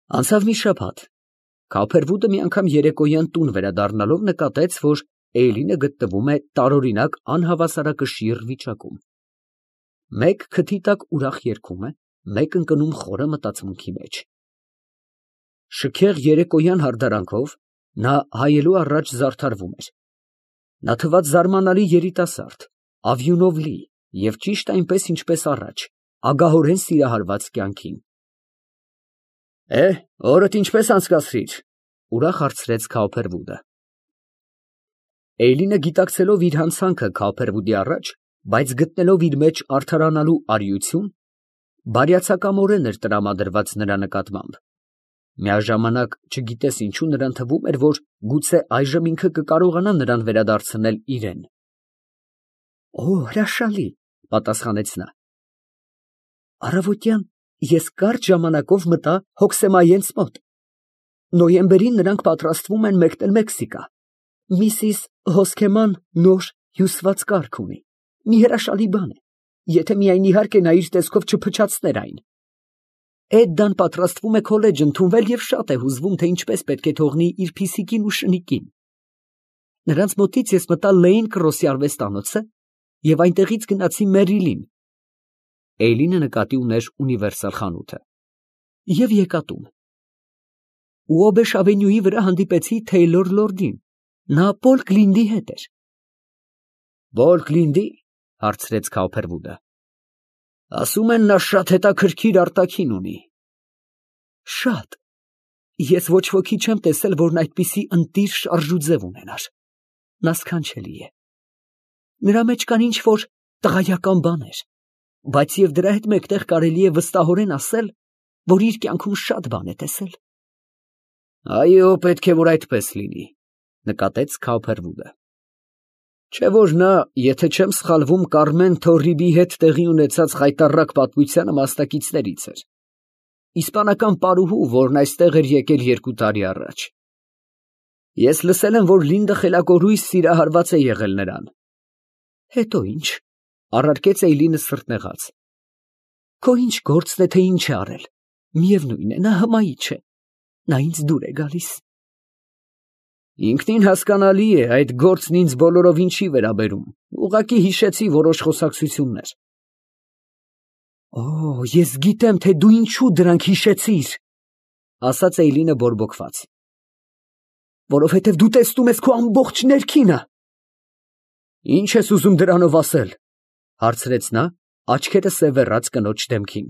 Անցավ մի շաբաթ։ Քափերվուդը մի անգամ երեկոյան տուն վերադառնալով նկատեց, որ Էյլինը գտնվում է տարօրինակ անհավասարակշիռ վիճակում. մեկ քթի տակ ուրախ երգում է, մեկ ընկնում խորը մտածմունքի մեջ։ Շքեղ երեկոյան հարդարանքով նա հայելու առաջ զարդարվում էր։ Նա թվաց զարմանալի երիտասարդ, ավյունով լի և ճիշտ այնպես, ինչպես առաջ, ագահորեն սիրահարված կյանքին։ Օրդ ինչպե՞ս անցկացրիր, ուրախ հարցրեց Քափերվուդը։ Էյլինը գիտակցելով իր հանցանքը Քափերվուդի առաջ, բայց գտնելով իր մեջ արդարանալու արիություն, բարյացակամորեն էր տրամադրված նրա նկատմամբ։ Միաժամանակ, չգիտես ինչու, նրան թվում էր, որ գուցե այժմ ինքը կկարողանա նրան վերադարձնել իրեն։ Հրաշալի, պատասխանեց նա։ Առավոտյան ես կարճ ժամանակով մտա հոգսեմայենց մոտ։ Նոյեմբերին նրանք պատրաստվում են մեկնել Մեքսիկա։ Միսիս Հոսքեման նոր հյուսված կառք ունի։ Մի հրաշալի բան է, եթե միայն իհարկե նա իր տեսքով չփչացներ այն։ Էդդան պատրաստվում է քոլեջ ընդունվել և շատ է հուզվում, թե ինչպես պետք է թողնի իր փիսիկին ու շնիկին։ Նրանց մոտից ես մտա Լեյն Կրոսի արվեստանոցը և այնտեղից գնացի Մերիլին։ Էյլինը նկատի ուներ Ունիվերսալ խանութը։ Եվ եկա տուն։ Ուոբեշ ավենյուի վրա հանդիպեցի Թեյլոր լորդին։ Նա Պոլ Կլինդի հետ էր։ Պոլ Կլինդի, հարցրեց Քափերվուդը։ Ասում են, նա շատ հետաքրքիր արտաքին ունի։ Շատ։ Ես ոչ ոքի չեմ տեսել, որն այդպիսի ընտիր շարժուձև ունենար։ Նա սքանչելի է։ Նրա մեջ կան ինչ-որ տղայական բաներ, բայց և դրա հետ մեկտեղ կարելի է վստահորեն ասել, որ իր կյանքում շատ բան է տեսել։ Այո, պետք է որ այդպես լինի, նկատեց Քափերվուդը։ Չէ՞ որ նա, եթե չեմ սխալվում, Կարմեն Թորրիբի հետ տեղի ունեցած խայտառակ պատմությանը մասնակիցներից էր։ Իսպանական պարուհու, որն այստեղ էր եկել 2 տարի առաջ։ Ես լսել եմ, որ Լինդը խելակորույս սիրահարված է եղել նրան։ Հետո ինչ, առարկեց Էյլինը սրտնեղած։ Քո ինչ գործն է, թե ինչ է արել։ Միևնույն է, նա հմայիչ է։ Նա ինձ դուր է գալիս։ Ինքնին հասկանալի է, այդ գործն ինձ բոլորովին չի վերաբերում, ուղղակի հիշեցի որոշ խոսակցություններ։ Ես գիտեմ, թե դու ինչու դրանք հիշեցիր, ասաց Էյլինը բորբոքված։ Որովհետև դու տեսնում ես քո ամբողջ ներքինը։ Ինչ ես ուզում դրանով ասել, հարցրեց նա, աչքերը սևեռած կնոջ դեմքին։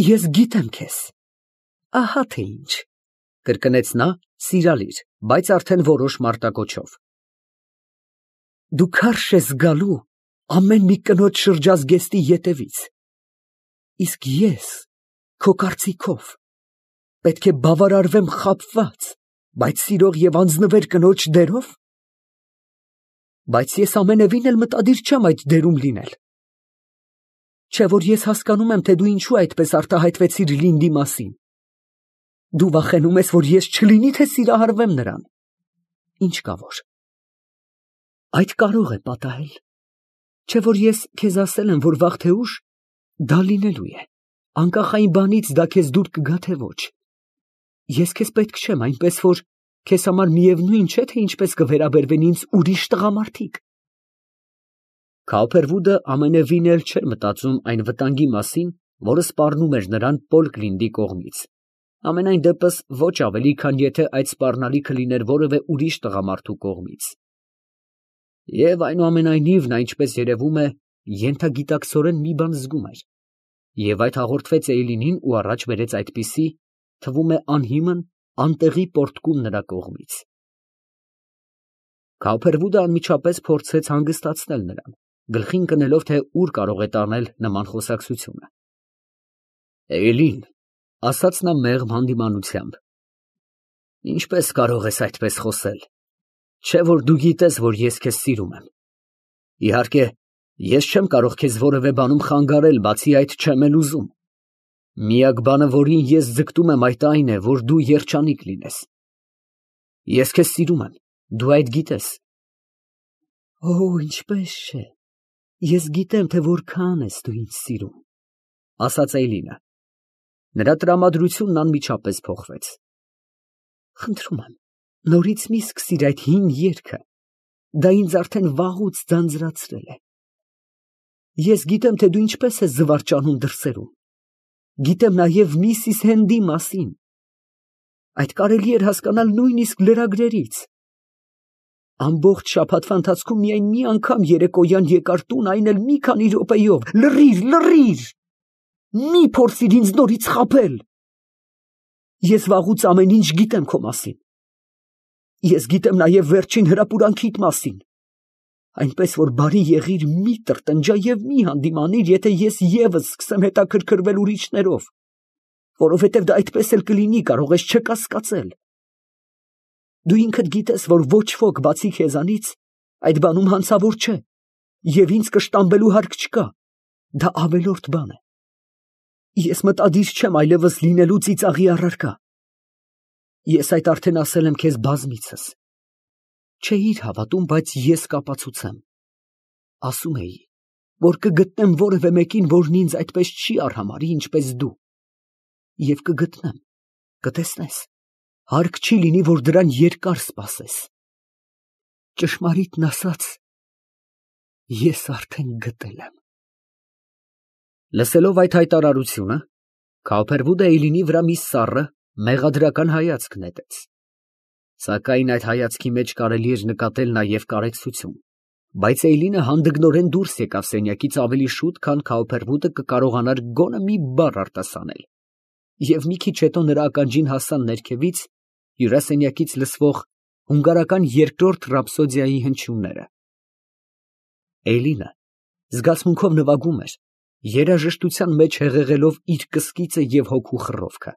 Ես գիտեմ քեզ։ Ահա թե ինչ, կրկնեց նա սիրալիր, բայց արդեն որոշ մարտակոչով։ Դու քարշ ես գալու ամեն մի կնոջ շրջազգեստի ետևից, իսկ ես, քո կարծիքով, պետք է բավարարվեմ խաբված, բայց սիրող և անձնվեր կնոջ դերով։ Բայց ես ամենևին էլ մտադիր չեմ այդ դերում լինել։ Չէ՞ որ ես հասկանում եմ, թե դու ինչու այդպես արտահայտվեցիր Լինդի մասին։ Դու վախենում ես, որ ես չլինի, թե սիրահարվեմ նրան։ Ինչ կա որ։ Այդ կարող է պատահել։ Չէ՞ որ ես քեզ ասել եմ, որ վաղ թե ուշ դա լինելու է, անկախ այն բանից դա քեզ դուր կգա, թե ոչ։ Ես քեզ պետք չեմ, այնպես որ քեզ համար միևնույն չէ, թե ինչպես կվերաբերվեն ինձ ուրիշ տղամարդիկ։ Քափերվուդը ամենևին էլ չէր մտածում այն վտանգի մասին, որը սպառնում էր նրան Պոլ Կլինդի կողմից։ Ամենայն դեպս ոչ ավելի, քան եթե այդ սպառնալիքը լիներ որևէ ուրիշ տղամարդու կողմից։ Եվ այնուամենայնիվ նա, ինչպես երևում է, ենթագիտակցորեն մի բան զգում էր, և այդ հաղորդվեց Էյլինին ու առաջ բերեց այդպիսի, թվում է անհիմն, անտեղի պոռթկում նրա կողմից։ Քափերվուդը անմիջապես փորձեց հանգստացնել նրան, գլխին կնելով, թե ուր կարող է տանել նման խոսակցությունը։ Էյլին, ասաց նա մեղմ հանդիմանությամբ, ինչպես կարող ես այդպես խոսել։ Չէ՞ որ դու գիտես, որ ես քեզ սիրում եմ։ Իհարկե, ես չեմ կարող քեզ որևէ բանում խանգարել, բացի այդ չեմ էլ ուզում։ Միակ բանը, որին ես ձգտում եմ, այդ այն է, որ դու երջանիկ լինես։ Ես քեզ սիրում եմ, դու այդ գիտես։ Ինչպես չէ։ Ես գիտեմ, թե որքան ես դու ինձ սիրում, ասաց Էյլինը։ Նրա տրամադրությունն անմիջապես փոխվեց։ Խնդրում եմ, նորից մի սկսիր այդ հին երգը, դա ինձ արդեն վաղուց ձանձրացրել է։ Ես գիտեմ, թե դու ինչպես ես զվարճանում դրսերում, գիտեմ նաև Միսիս Հենդի մասին, այդ կարելի էր հասկանալ նույնիսկ լրագրերից։ Ամբողջ շաբաթվա ընթացքում միայն մի անգամ երեկոյան եկար տուն, այն էլ մի քանի րոպեով։ Լռիր, մի փորձիր ինձ նորից խաբել։ Ես վաղուց ամեն ինչ գիտեմ քո մասին։ Ես գիտեմ նաև վերջին հրապուրանքիդ մասին, այնպես որ բարի եղիր, մի տրտնջա և մի հանդիմանիր, եթե ես ևս սկսեմ հետաքրքրվել ուրիշներով, որովհետև դա այդպես էլ կլինի, կարող ես չկասկածել։ Դու ինքդ գիտես, որ ոչ ոք բացի քեզանից այդ բանում հանցավոր չէ, և ինձ կշտամբելու հարկ չկա, դա ավելորդ բան է։ Ես մտադիր չեմ այլևս լինելու ծիծաղի առարկա։ Ես այդ արդեն ասել եմ քեզ բազմիցս։ Չէիր հավատում, բայց ես կապացուցեմ։ Ասում էի, որ կգտնեմ որևէ մեկին, որն ինձ այդպես չի արհամարհի, ինչպես դու։ Եվ կգտնեմ, կտեսնես, հարկ չի լինի, որ դրան երկար սպասես։ Ճշմարիտն ասած, ես արդեն գտել եմ։ Լսելով այդ հայտարարությունը, Քավփերվուդը Էյլինի վրա մի սառը, մեղադրական հայացք նետեց։ Սակայն այդ հայացքի մեջ կարելի էր նկատել նաև կարեկցություն, բայց Էյլինը հանդգնորեն դուրս եկավ սենյակից ավելի շուտ, քան Քավփերվուդը կկարողանար գոնե մի բառ արտասանել, և մի քիչ հետո նրա ականջին հասան ներքևից հյուրասենյակից լսվող հունգարական երկրորդ ռապսոդիայի հնչյունները։ Էյլինը զգացմունքով նվագում էր, երաժշտության մեջ հեղեղելով իր կսկիծը և հոգու խռովքը։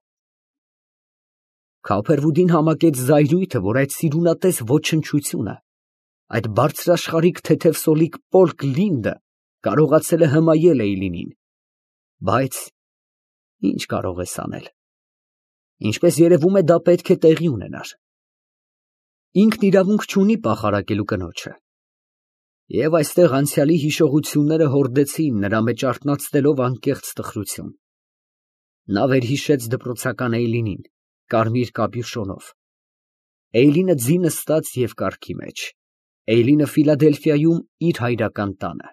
Քավփերվուդին համակեց զայրույթը, որ այդ սիրունատես ոչնչությունը, այդ բարձրաշխարհիկ թեթև սոլիկ պոլկ Լինդը կարողացել է հմայել Էյլինին, բայց ինչ կարող ես անել։ Ինչպես երևում է, դա պետք է տեղի ունենար։ Ինքն իրավունք չունի պախարակելու կնոջը։ Եվ այստեղ անցյալի հիշողությունները հորդեցին նրա մեջ արթնացնելով անկեղծ տխրություն։ Նա վերհիշեց դպրոցական Էյլինին, կարմիր կապյուշոնով։ Էյլինը ձի նստած և կառքի մեջ, Էյլինը Ֆիլադելֆիայում իր հայրական տանը։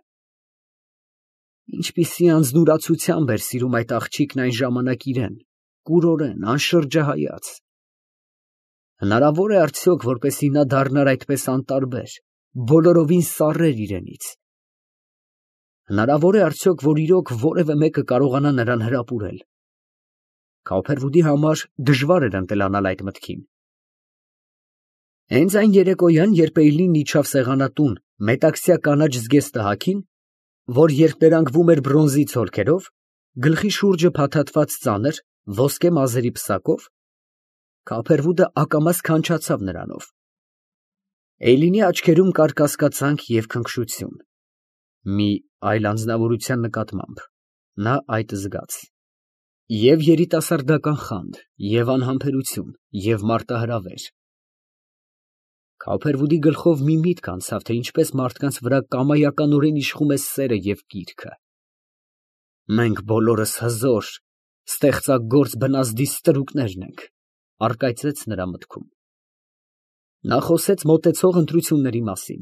Ինչպիսի անձնուրացությամբ էր սիրում այդ աղջիկն այն ժամանակ իրեն, կուրորեն, անշրջահայաց։ Հնարավոր է արդյոք, որպեսզի նա դառնար այդպես անտարբեր, բոլորովին սառեր իրենից։ Հնարավոր է արդյոք, որ իրոք որևէ մեկը կարողանա նրան հրապուրել։ Քավփերվուդի համար դժվար էր ընտելանալ այդ մտքին։ Հենց այն երեկոյան, երբ Էյլինն իջավ սեղանատուն մետաքսյա կանաչ զգեստահագին, որ երկներանգվում էր բրոնզի ցոլքերով, գլխի շուրջը փաթաթված ծանր ոսկե մազերի պսակով, Քավփերվուդը ակամա սքանչացավ նրանով։ Էյլինի աչքերում կար կասկածանք և քնքշություն։ Մի այլ անձնավորության նկատմամբ նա այդ զգաց։ Եվ երիտասարդական խանդ, և անհամբերություն, և մարտահրավեր։ Քավփերվուդի գլխով մի միտք անցավ, թե ինչպես մարդկանց վրա կամայականորեն իշխում է սերը և կիրքը։ Մենք բոլորս հզոր, ստեղծագործ բնազդի ստրուկներն ենք, առկայծեց նրա մտքում։ Նա խոսեց մոտեցող ընտրությունների մասին։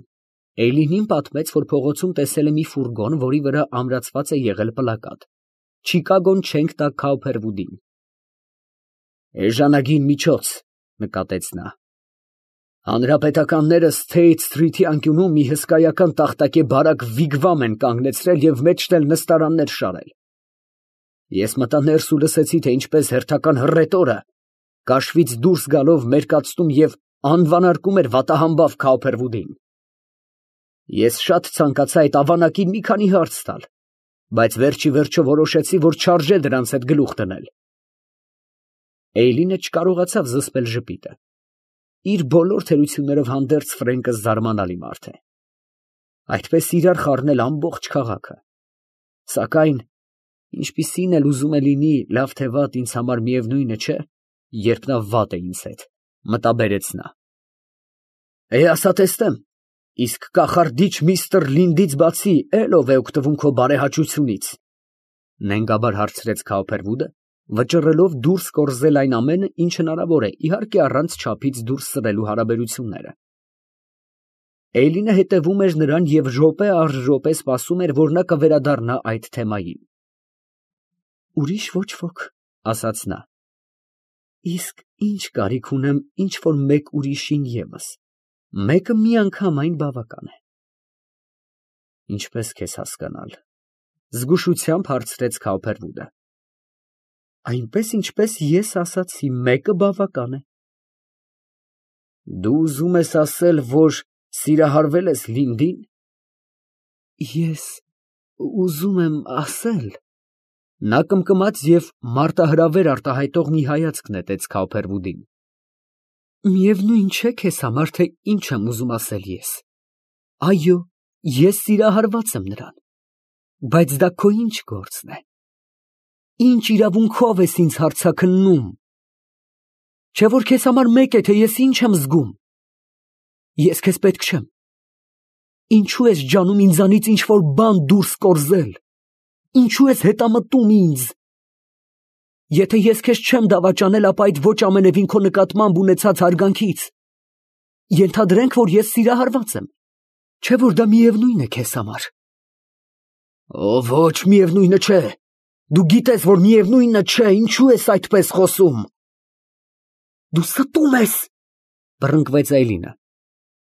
Էյլինին պատմեց, որ փողոցում տեսել է մի ֆուրգոն, որի վրա ամրացված է եղել պլակատ. Չիկագոն չենք տա Քավփերվուդին։ Էժանագին միջոց, նկատեց նա։ Հանրապետականները Սթեյթ Սթրիթի անկյունում մի հսկայական տախտակե բարակ վիգվամ են կանգնեցրել և մեջն էլ նստարաններ շարել։ Ես մտա ներս ու լսեցի, թե ինչպես հերթական հռետորը կաշվից դուրս գալով մերկացնում և անվանարկում էր վատահամբավ Քավփերվուդին։ Ես շատ ցանկացա այդ ավանակին մի քանի հարց տալ, բայց վերջիվերջո որոշեցի, որ չարժե դրանց հետ գլուխ դնել։ Էյլինը չկարողացավ զսպել ժպիտը։ Իր բոլոր թերություններով հանդերձ Ֆրենկը զարմանալի մարդ է։ Այդպես իրար խառնել ամբողջ քաղաքը։ Սակայն, ինչպիսին էլ ուզում է լինի, լավ թե վատ, ինձ համար միևնույնը չէ, երբ նա վատ է ինձ հետ, մտաբերեց նա։ Ասա տեսնեմ, իսկ կախարդիչ միստր Լինդից բացի էլ ով է օգտվում քո բարեհաճությունից, նենգաբար հարցրեց Քավփերվուդը, վճռելով դուրս կորզել այն ամենը, ինչ հնարավոր է, իհարկե առանց չափից դուրս սրելու հարաբերությունները։ Էյլինը հետևում էր նրան և րոպե առ րոպե սպասում էր, որ նա կվերադառնա այդ թեմային։ Ուրիշ ոչ ոք, ասաց նա։ Իսկ ինչ կարիք ունեմ ինչ-որ մեկ ուրիշին ևս, մեկը մի անգամ այն բավական է։ Ինչպես քեզ հասկանալ, զգուշությամբ հարցրեց Քաուփերվուդը։ Այնպես ինչպես ես ասացի, մեկը բավական է։ Դու ուզում ես ասել, որ սիրահարվել ես Լինդին։ Ես ուզում եմ ասել։ Նա կմկմաց և մարտահրավեր արտահայտող մի հայացք նետեց Քաուփերվուդին։ Միևնույն չէ քեզ համար, թե ինչ եմ ուզում ասել ես։ Այո, ես սիրահարված եմ նրան, բայց դա քո ինչ գործն է։ Ինչ իրավունքով ես ինձ հարցաքննում։ Չէ՞ որ քեզ համար մեկ է, թե ես ինչ եմ զգում։ Ես քեզ պետք չեմ։ Ինչու ես ջանում ինձանից ինչ-որ բան դուրս կորզել։ Ինչու ես հետամտում ինձ։ Եթե ես քեզ չեմ դավաճանել, ապա այդ ոչ ամենևին քո նկատմամբ ունեցած հարգանքից։ Ենթադրենք, որ ես սիրահարված եմ։ Չէ՞ որ դա միևնույն է քեզ համար։ Ոչ, միևնույնը չէ։ Դու գիտես, որ միևնույնը չէ, ինչու ես այդպես խոսում։ Դու ստում ես, բռնկվեց Այլինը։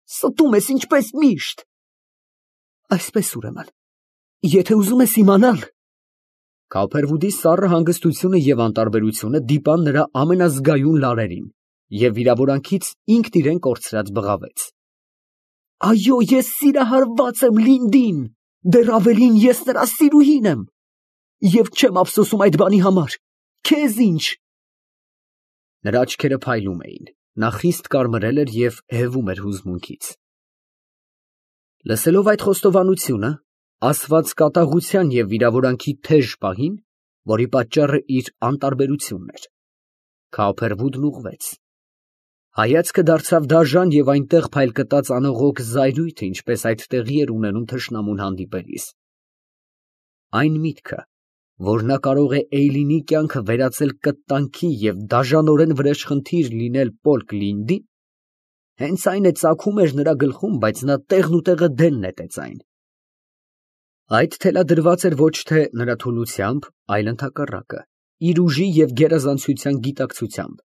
Ստում ես ինչպես միշտ։ Այսպես ուրեմն, եթե ուզում ես իմանալ։ Քաուփերվուդի սառը հանգստությունը և անտարբերությունը դիպան նրա ամենազգայուն լարերին, և վիրավորանքից ինքն իրեն կորցրած բղավեց։ Այո, ես սիրահարված եմ Լինդին, դեռ ավելին ես նրա սիրուհին եմ, և չեմ ափսոսում այդ բանի համար, քեզ ինչ։ Նրա աչքերը փայլում էին, նա խիստ կարմրել էր և հևում էր հուզմունքից։ Լսելով այդ խոստովանությունը, ասված կատաղության և վիրավորանքի թեժ պահին, որի պատճառը իր անտարբերությունն էր, Քաուփերվուդն ուղղվեց։ Հայացքը դարձավ դաժան և այնտեղ փայլկտած անողոք զայրույթը, ինչպես այդ տեղի էր ունենում թշնամուն հանդիպելիս։ Այն միտքը, որ նա կարող է Էյլինի կյանքը վերածել կտանքի և դաժանորեն վրեժխնդիր լինել Պոլկ Լինդին, հենց այն է ծագում էր նրա գլխում, բայց նա տեղնուտեղը դեն նետեց այն։ Այդ թելադրված էր ոչ թե նրա թուլությամբ, այլ ընդհակառակը, իր ուժի և գերազանցության գիտակցությամբ։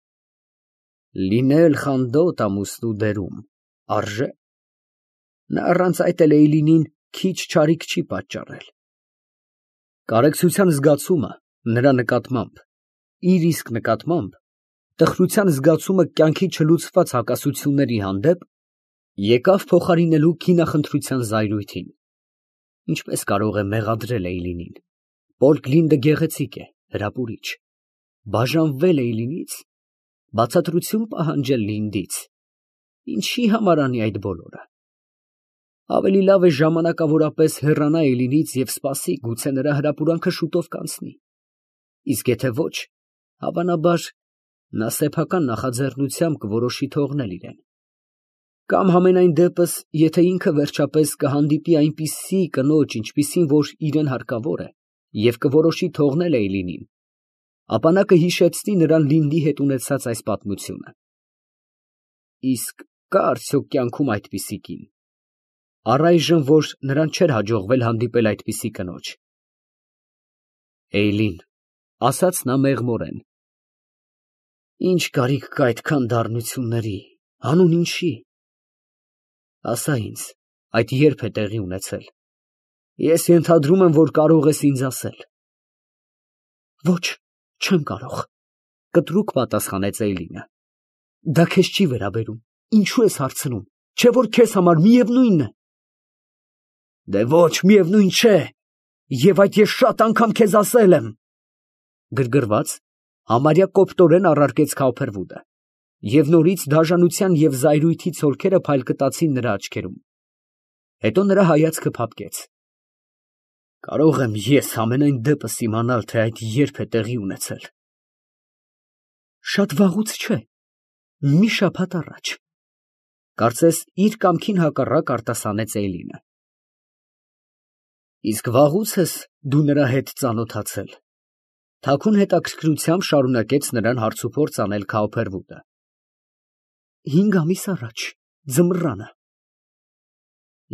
Լինել խանդոտ ամուսնու դերում, արժե։ Նա առանց այդ էլ Էյլինին քիչ չարիք չի պատճառել։ Կարեկցության զգացումը նրա նկատմամբ, իր իսկ նկատմամբ, տխրության զգացումը կյանքի չլուծված հակասությունների հանդեպ, եկավ փոխարինելու քինախնդրության զայրույթին։ Ինչպես կարող է մեղադրել Էյլինին։ Պոլկ Լինդը գեղեցիկ է, հրապուրիչ։ Բաժանվել Էյլինից, բացատրություն պահանջել Լինդից։ Ինչի համար անի այդ բոլորը։ Ավելի լավ է ժամանակավորապես հեռանա Էյլինից և սպասի, գուցե նրա հրապուրանքը շուտով կանցնի։ Իսկ եթե ոչ, հավանաբար, նա սեփական նախաձեռնությամբ կորոշի թողնել իրեն։ Կամ համենայն դեպս, եթե ինքը վերջապես կհանդիպի այնպիսի կնոջ, ինչպիսին որ իրան հարկավոր է, և կորոշի թողնել Էյլինին, ապա նա կհիշեցնի նրան Լինդի հետ ունեցած այս պատմությունը։ Իսկ կա՞ արդյոք կյանքում այդպիսի կին, առայժմ որ նրան չէր հաջողվել հանդիպել այդպիսի կնոջ։ Էյլին, ասաց նա մեղմորեն, ինչ կարիք կա այդքան դառնությունների, հանուն ինչի։ Ասա ինձ, այդ երբ է տեղի ունեցել։ Ես ենթադրում եմ, որ կարող ես ինձ ասել։ Ոչ, չեմ կարող, կտրուկ պատասխանեց Էյլինը։ Դա քեզ չի վերաբերում, ինչու ես հարցնում, չէ որ քեզ համար միևնույնն է։ Դե ոչ, միևնույն չէ, և այդ ես շատ անգամ քեզ ասել եմ։ Գրգռված, համարյա կոպտորեն առարկեց Քաուփերվուդը, և նորից դաժանության և զայրույթի ցոլքերը փայլկտացին նրա աչքերում։ Հետո նրա հայացքը փափկեց։ Կարող եմ ես ամենայն դեպս իմանալ, թե այդ երբ է տեղի ունեցել։ Շատ վաղուց չէ, մի շաբաթ առաջ, կարծես իր կամքին հակառակ արտասանեց Էյլինը։ Իսկ վաղուց ես դու նրա հետ ծանոթացել։ Թաքուն հետաքրքրությամբ շարունակեց նրան հարցուփորձ անել Քաուփերվուդը։ 5 ամիս առաջ, ձմռանը։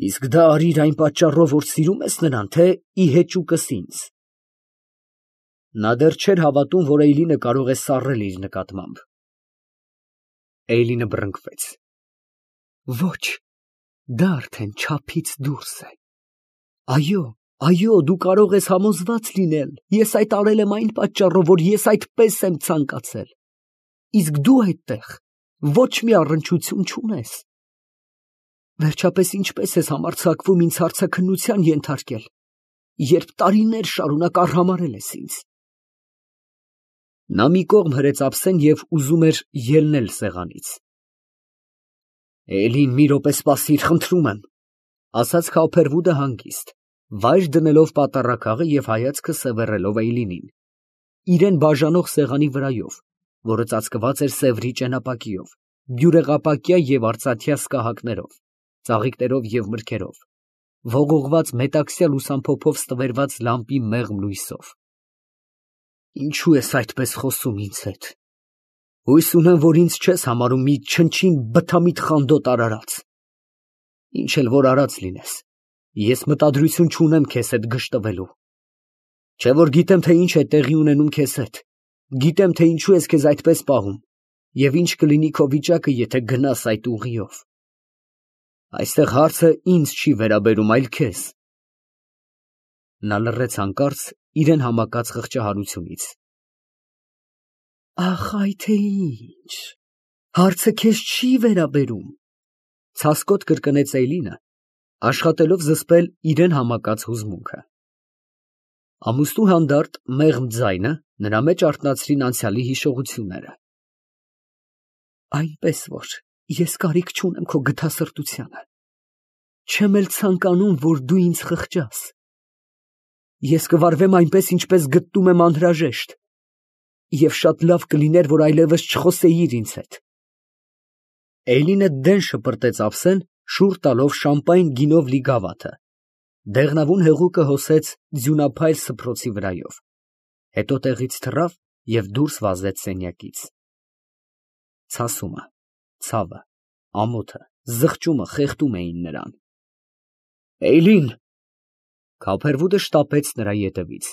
Իսկ դա արիր այն պատճառով, որ սիրում ես նրան, թե ի հեճուկս ինձ։ Նա դեռ չէր հավատում, որ Էյլինը կարող է սառել իր նկատմամբ։ Էյլինը բռնկվեց։ Ոչ, դա արդեն չափից դուրս է։ Այո, դու կարող ես համոզված լինել, ես այդ արել եմ այն պատճառով, որ ես այդպես եմ ցանկացել։ Իսկ դու այդտեղ ոչ մի առնչություն չունես։ Վերջապես ինչպես ես համարձակվում ինձ հարցաքննության ենթարկել, երբ տարիներ շարունակ արհամարհել ես ինձ։ Նա մի կողմ հրեց ափսեն և ուզում էր ելնել սեղանից։ Էլին, մի րոպե սպասիր, խնդրում եմ, ասաց Քաուփերվուդը հանգիստ, վայր դնելով պատառաքաղը և հայացքը սևեռելով Էյլինին, իրեն բաժանող սեղանի վրայով, որը ծածկված էր սևրի ճենապակիով, բյուրեղապակյա և արծաթյա սկահակներով, ծաղիկներով և մրգերով, ողողված մետաքսյա լուսամփոփով ստվերված լամպի մեղմ լույսով։ Ինչու ես այդպես խոսում ինձ հետ։ Հույս ունեմ, որ ինձ չես համարում մի չնչին բթամիտ խանդոտ արարած։ Ինչ էլ որ արած լինես, ես մտադրություն չունեմ քեզ հետ գժտվելու։ Չէ որ գիտեմ, թե ինչ է տեղի ունենում քեզ հետ, գիտեմ, թե ինչու ես քեզ այդպես պահում և ինչ կլինի քո վիճակը, եթե գնաս այդ ուղիով։ Այստեղ հարցը ինձ չի վերաբերում, այլ քեզ։ Նա լռեց հանկարծ իրեն համակած խղճահարությունից։ Ախ, այ թե ինչ, հարցը քեզ չի վերաբերում, ցասկոտ կրկնեց Էյլինը, աշխատելով զսպել իրեն համակած հուզմունքը։ Ամուսնու հանդարտ մեղմ ձայնը նրա մեջ արթնացրին անցյալի հիշողությունները։ Այնպես որ ես կարիք չունեմ քո գթասրտությանը, չեմ էլ ցանկանում, որ դու ինձ խղճաս։ Ես կվարվեմ այնպես, ինչպես գտնում եմ անհրաժեշտ, և շատ լավ կլիներ, որ այլևս չխոսեիր ինձ հետ։ Էյլինը դեն շպրտեց ափսեն, շուռ տալով շամպայն գինով լի գավաթը, դեղնավուն հեղուկը հոսեց ձյունափայլ սփռոցի վրայով, հետո տեղից թռավ և դուրս վազեց սենյակից։ Ցասումը, ցավը, ամոթը, զղջումը խեղդում էին նրան։ Էյլին… Քաուփերվուդը շտապեց նրա ետևից,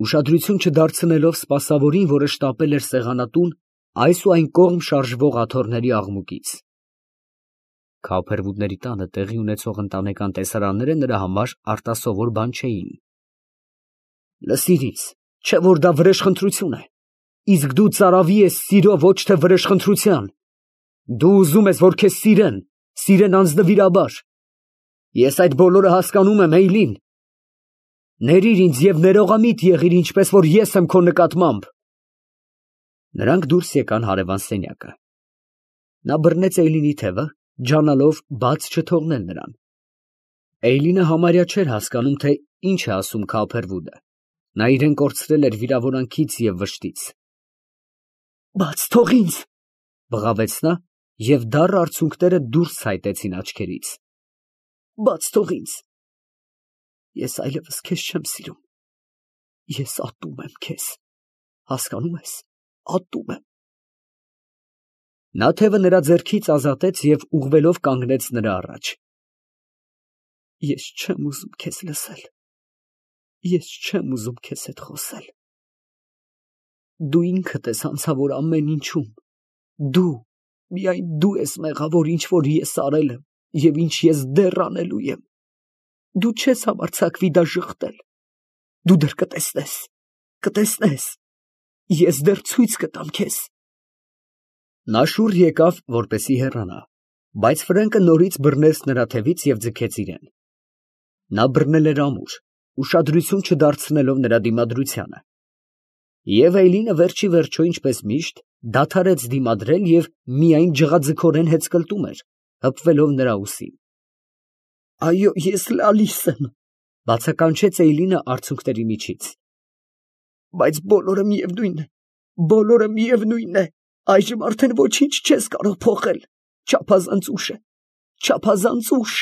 ուշադրություն չդարձնելով սպասավորին, որը շտապել էր սեղանատուն այս ու այն կողմ շարժվող աթոռների աղմուկից։ Քաուփերվուդների տանը տեղի ունեցող ընտանեկան տեսարանները նրա համար արտասովոր բան չէին։ Լսիր ինձ, չէ որ դա վրեժխնդրություն է, իսկ դու ծարավի ես սիրո, ոչ թե վրեժխնդրության։ Դու ուզում ես, որ քեզ սիրեն անձնվիրաբար։ Ես այդ բոլորը հասկանում եմ, Էյլին։ Ներիր ինձ և ներողամիտ եղիր, ինչպես որ ես եմ քո նկատմամբ։ Նրանք դուրս եկան հարևան սենյակը։ Նա բռնեց Էյլինի թևը, ջանալով բաց չթողնել նրան։ Էյլինը համարյա չէր հասկանում, թե ինչ է ասում Քաուփերվուդը։ Նա իրեն կորցրել էր վիրավորանքից և վշտից։ Բաց թող ինձ, բղավեց նա, և դառը արցունքները դուրս ցայտեցին աչքերից։ Բաց թող ինձ։ Ես այլևս քեզ չեմ սիրում։ Ես ատում եմ քեզ, հասկանում ես, ատում եմ։ Նա թևը նրա ձեռքից ազատեց և ուղղվելով կանգնեց նրա առաջ։ Ես չեմ ուզում քեզ լսել, ես չեմ ուզում քեզ հետ խոսել։ Դու ինքդ ես հանցավոր ամեն ինչում, դու, միայն դու ես մեղավոր, ինչ որ ես արել եմ և ինչ ես դեռ անելու եմ։ Դու չես համարձակվի դա ժխտել, դու դեռ կտեսնես, ես դեռ ցույց կտամ քեզ։ Նա շուռ եկավ, որպեսզի հեռանա, բայց Ֆրենկը նորից բռնեց նրա թևից և ձգեց իրեն։ Նա բռնել էր ամուր, ուշադրություն չդարձնելով նրա դիմադրությանը։ Եվ Էյլինը վերջի վերջո, ինչպես միշտ, դադարեց դիմադրել և միայն ջղաձգորեն հեծկլտում էր, հպվելով նրա ուսին։ Այո, ես լալիս եմ, բացականչեց Էյլինը արցունքների միջից։ Բայց բոլորը միևնույն է, այժմ արդեն ոչինչ չես կարող փոխել, չափազանց ուշ է, չափազանց ուշ։